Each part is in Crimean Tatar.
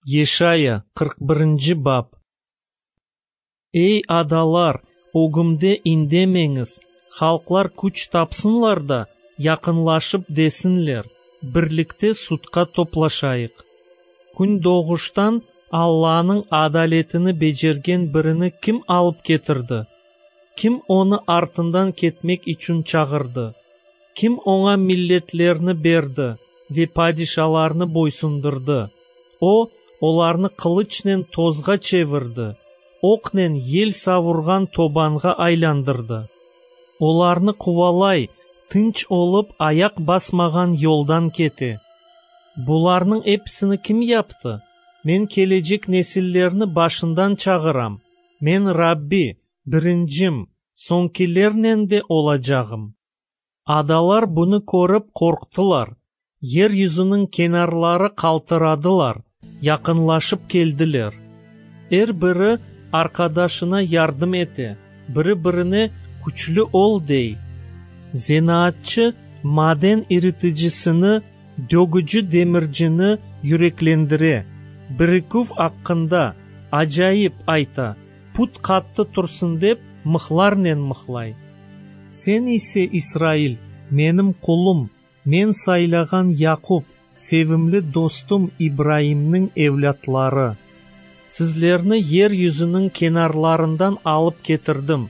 Yeşaya, 41 bap. Ey, adalar, ögümde indemeñiz, halqlar küç tapsınlar da, yaqınlaşıp desinler, Birlikte sudqa toplaşayıq. Kündoğuştan Allanıñ adaletini becergen birini kim alıp ketirdi? Kim onı artından ketmek içün çağırdı? Kim oña milletlerni berdi ve padişalarnı boysundırdı? O, olarnı qılıçnen tozğa çevirdi, oqnen yel savurğan tobanğa aylandırdı. Olarnı quvalay, tınç olıp ayaq basmağan yoldan kete. Bularnıñ episini kim yaptı? Men kelecek nesillerni başından çağıram. Men Rabbi, birincim, soñkilernen de olacağım. Adalar bunı körip qorqtılar, yer yüzüniñ kenarları qaltıradılar, yaqınlaşıp keldiler. Er biri arqadaşına yardım ete, biri-birine küçlü ol dey. Zenaatçı maden iriticisini, dögüci demircini yüreklendire, biriküv aqqında, acayip, ayta, put qattı tursın dep, mıhlarnen mıhlay. Sen ise, İsrail, menim qulum, men saylağan Yaqup, sevimli dostum İbraimniñ evlâtları! Sizlerni yer yüzüniñ kenarlarından alıp ketirdim,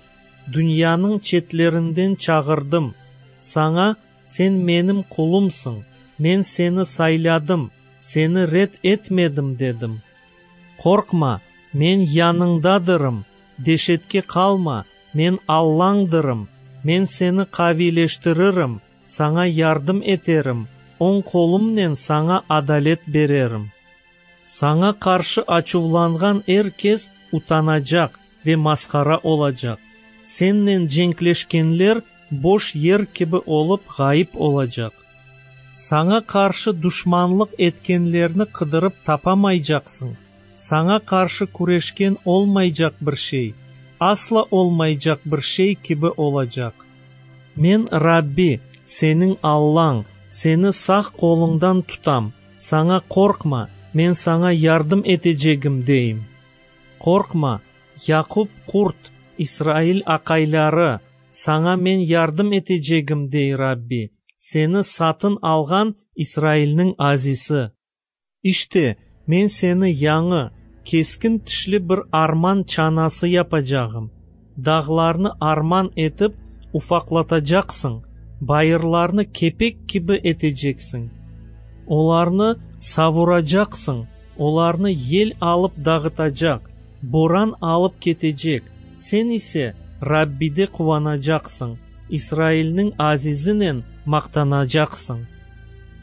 dünyanıñ çetlerinden çağırdım. Saña, Sen menim qulumsıñ, men seni sayladım, seni red etmedim, dedim. Qorqma, men yanıñdadırım, deşetke qalma, men Allañdırım, men seni qaviyleştiririm, saña yardım eterim, oñ qolumnen saña adalet bererim. Saña qarşı açuvlanğan er kes utanacaq ve masqara olacaq, sennen cenkleşkenler boş yer kibi olıp ğayıp olacaq. Saña qarşı duşmanlıq etkenlerni qıdırıp tapamaycaqsıñ, saña qarşı küreşken olmaycaq bir şey, asla olmaycaq bir şey kibi olacaq. Men, Rabbi, seniñ Allañ, seni sağ qoluñdan tutam, saña qorqma, men saña yardım etecegim, deyim. Qorqma, Yaqup qurt, İsrail aqayları, saña men yardım etecegim, dey Rabbi, seni satın alğan İsrailniñ Azisi. İşte, men seni yañı, keskin tişli bir arman çanası yapacağım. Dağlarnı arman etip ufaqlatacaqsıñ, bayırlarnı kepek kibi eteceksiñ. Olarnı savuracaqsıñ, olarnı yel alıp dağıtacaq, boran alıp ketecek, sen ise Rabbide quvanacaqsıñ, İsrailniñ Azizinen maqtanacaqsıñ.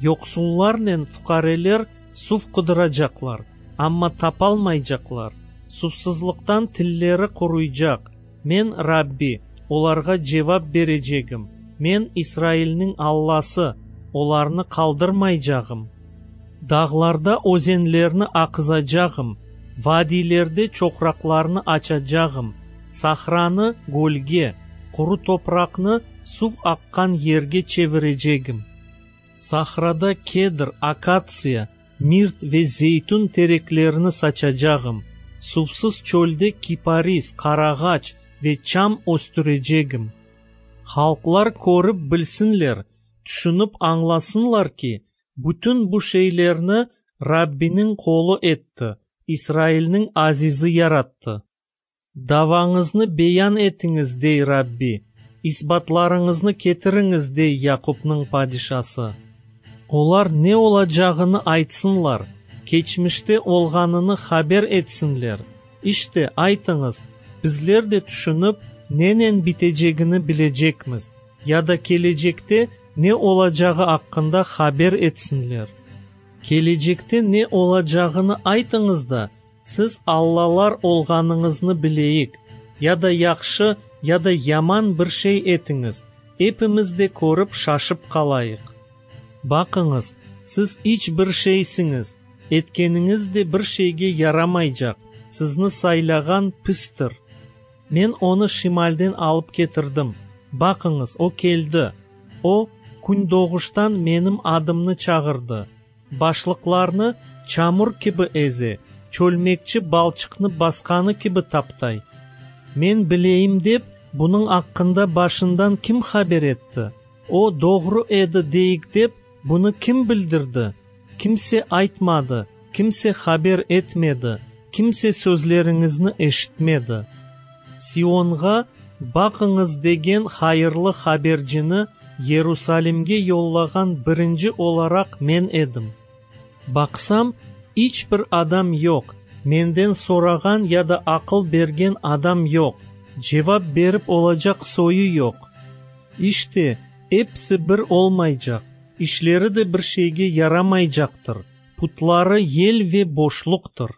Yoqsullarnen fuqareler suv qıdıracaqlar, amma tapalmaycaqlar, suvsızlıqtan tilleri quruycaq. Men, Rabbi, olarğa cevap berecegim, Men, İsrailniñ Allası, olarnı qaldırmaycağım. Dağlarda özenlerni aqızacağım, vadiylerde çoqraqlarnı açacağım, sahranı gölge, quru topraqnı suv aqqan yerge çevirecegim. Sahrada kedr, akatsiya, mirt ve zeytün tereklerini saçacağım, suvsız çölde kiparis, qarağaç ve çam östürecegim. Halqlar körip bilsinler, tüşünip añlasınlar ki, bütün bu şeylerni Rabbiniñ qolu etti, İsrailniñ Azizi yarattı. Davañıznı beyan etiñiz, dey Rabbi, isbatlarıñıznı ketiriñiz, dey Yaqupnıñ Padişası. Olar ne olacağını aytsınlar, keçmişte olğanını haber etsinler. İşte, aytıñız, bizler de tüşünip, nenen bitecegini bilecekmiz, ya da kelecekte ne olacağı aqqında haber etsinler. Kelecekte ne olacağını aytıñız da, siz allalar olğanıñıznı bileyik, ya da yahşı, ya da yaman bir şey etiñiz, epimiz de körip şaşıp qalayıq. Baqıñız, siz iç bir şeysiñiz, etkeniñiz de bir şeyge yaramaycaq, sizni saylağan pistir. Men onı şimalden alıp ketirdim. Baqıñız, o keldi. O, kündoğuştan menim adımnı çağırdı. Başlıqlarnı. çamur kibi eze, çölmekçi balçıqnı basqanı kibi taptay. Men bileyim dep, bunıñ aqqında başından kim haber etti? O, doğru edi deyik dep, bunı kim bildirdi? Kimse aytmadı, kimse haber etmedi, kimse sözleriñizni eşitmedi. Sionğa, Baqıñız degen hayırlı habercini Yerusalimge yollağan birinci olaraq men edim. Baqsam, iç bir adam yoq, menden sorağan ya da aqıl bergen adam yoq, cevap berip olacaq soyu yoq. İşte, episi bir olmaycaq, işleri de bir şeyge yaramaycaqtır, putları yel ve boşluqtır.